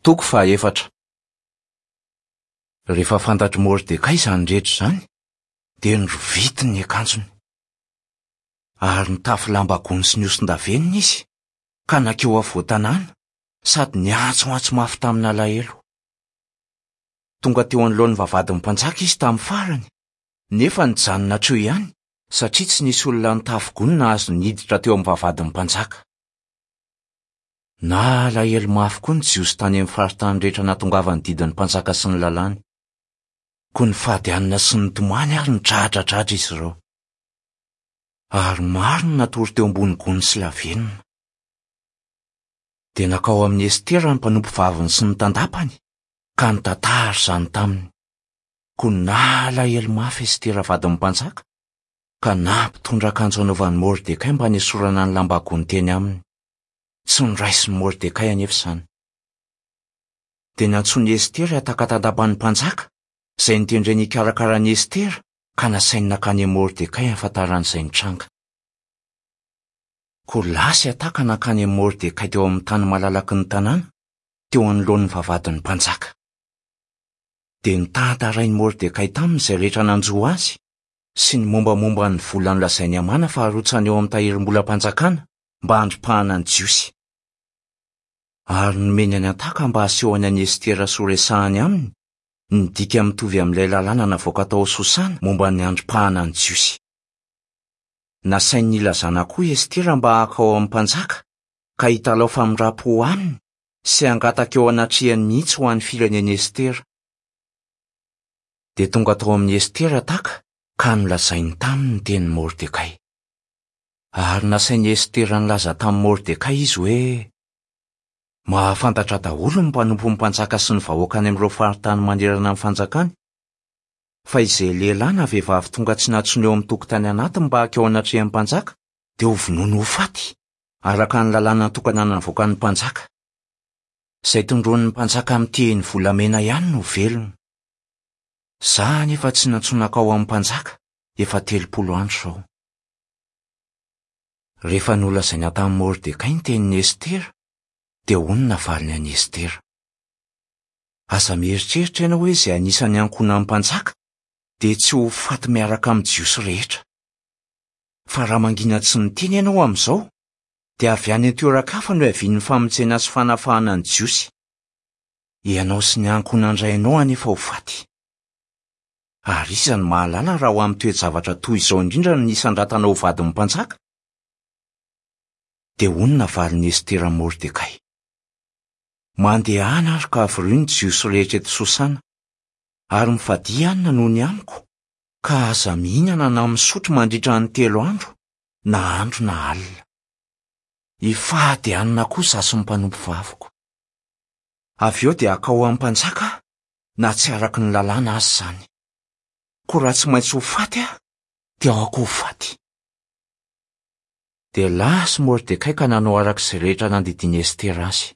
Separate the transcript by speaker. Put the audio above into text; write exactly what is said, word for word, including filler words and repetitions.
Speaker 1: Toko fahaefatra. Rehefa fantatr'i Mordekay izany rehetra izany, dia norovitiny ny akanjony. Ary nitafy lamba gony sy nihoson-davenona izy, ka nankeo afovoan-tanàna, sady niantsoantso mafy tamin'alahelo. Tonga teo anoloan'ny vavahadin'ny mpanjaka izy tamin'ny farany, nefa nijanona hatreo ihany, satria tsy nisy olona nitafy gony nahazo niditra teo amin'ny vavahadin'ny mpanjaka. Nalahelo mafy koa ny Jiosy tany amin'ny faritany rehetra nahatongavan'ny didin'ny mpanjaka sy ny lalàny. Koa nifady hanina sy nitomany ary nidradradradra izy ireo. Ary maro no natory teo ambony gony sy lavenona. Dia nankao amin'i Estera ny mpanompovaviny sy ny tandapany, ka nitantara izany taminy. Koa nalahelo mafy Estera vadin'ny mpanjaka, ka nampitondra akanjo hanaovan'i Mordekay mba hanesorana ny lamba gony teny aminy. Tsy noraisin'i Mordekay anefa izany. Dia nantsoin'i Estera Hataka tandapan'ny mpanjaka, izay notendreny hikarakara an'i Estera, ka nasainy nankany amin'i Mordekay hahafantarany izay nitranga. Koa lasa i Hataka nankany amin'i Mordekay teo amin'ny tany malalaky ny tanàna, teo anoloan'ny vavahadin'ny mpanjaka. Dia notantarain'i Mordekay taminy izay rehetra nanjo azy, sy ny mombamomba ny vola nolazain'i Hamana fa harotsany eo amin'ny tahirim-bolam-panjakana mba handripahana ny Jiosy. Ary nomeny an'i Hataka mba hasehony an'i Estera sy horesahany aminy ny dika mitovy amin'ilay lalàna navoaka tao Sosana momba ny handripahana ny Jiosy. Nasainy nilazana koa Estera mba hankao amin'ny mpanjaka, ka hitalao famindram-po aminy sy hangataka eo anatrehany mihitsy ho an'ny firenen'i Estera. Dia tonga tao amin'i Estera Hataka ka nolazainy taminy ny tenin'i Mordekay. Ary nasain'i Estera nilaza tamin'i Mordekay izy hoe: Mahafantatra daholo ny mpanompon'ny mpanjaka sy ny vahoaka any amin'ireo faritany manerana ny fanjakany, fa izay lehilahy na vehivavy tonga tsy nantsoina eo amin'ny tokotany anatiny mba hankeo anatrehan'ny mpanjaka dia ho vonoina ho faty, araka ny lalàna natokana navoakan'ny mpanjaka. Izay tondroin'ny mpanjaka amin'ny tehiny volamena ihany no velona. Izaho anefa tsy nantsoina hankao amin'ny mpanjaka efa telopolo andro izao. Rehefa nolazaina tamin'i Mordekay ny tenin'i Estera, dia hoy ny navaliny an'i Estera: Aza mieritreritra ianao hoe izay anisan'ny ankohonan'ny mpanjaka dia tsy ho faty miaraka amin'ny Jiosy rehetra. Fa raha mangina tsy niteny ianao amin'izao, dia avy any an-toeran-kafa no hiavian'ny famonjena sy fanafahana ny Jiosy. Ianao sy ny ankohonan-drainao anefa ho faty. Ary iza no mahalala raha ho amin'ny toe-javatra toy izao indrindra no nisandratana ho vadin'ny mpanjaka? Dia hoy ny navalin'i Estera Mordekay: Mandehana ary ka avorio ny Jiosy rehetra eto Sosana, ary mifadia hanina noho ny amiko, ka aza mihinana na misotro mandritra ny telo andro, na andro na alina. Hifady hanina koa izaho sy ny mpanompovaviko. Avy eo dia hankao amin'ny mpanjaka aho, na tsy araka ny lalàna aza izany. Koa raha tsy maintsy ho faty aho, dia aoka ho faty. Dia lasa Mordekay ka nanao araka izay rehetra nandidian'i Estera azy.